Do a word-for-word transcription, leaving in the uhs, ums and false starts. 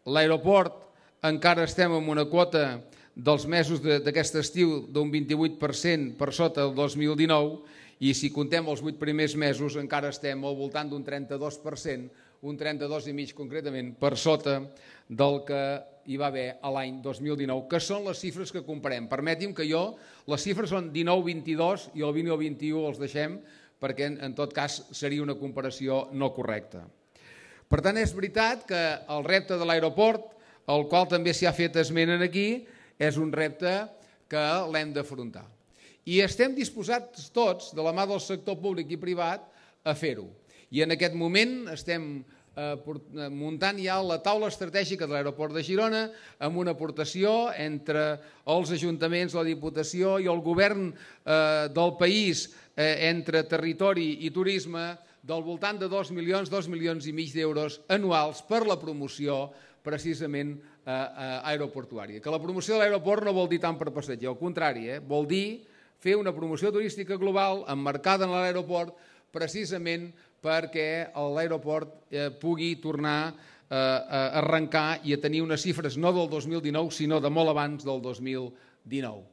l'aeroport encara estem en una quota dels mesos d'aquest estiu d'un vint-i-vuit per cent per sota del dos mil dinou i si contem els vuit primers mesos encara estem al voltant d'un trenta-dos per cent, un trenta-dos coma cinc concretament, per sota del que hi va haver a l'any dos mil dinou, que són les xifres que comparem. Permeti'm que jo, les xifres són dinou vint-i-dos i el vint i el vint-i-u els deixem perquè en tot cas seria una comparació no correcta. Per tant, és veritat que el repte de l'aeroport, el qual també s'hi ha fet esment aquí, és un repte que l'hem d'afrontar. I estem disposats tots, de la mà del sector públic i privat, a fer-ho. I en aquest moment estem muntant ja la taula estratègica de l'aeroport de Girona amb una aportació entre els ajuntaments, la Diputació i el govern del país entre territori i turisme del voltant de dos milions, dos milions i mig d'euros anuals per la promoció precisament aeroportuària. Que la promoció de l'aeroport no vol dir tant per passeig, al contrari, vol dir fer una promoció turística global emmarcada en l'aeroport precisament perquè l'aeroport pugui tornar a arrencar i a tenir unes xifres no del dos mil dinou sinó de molt abans del dos mil dinou.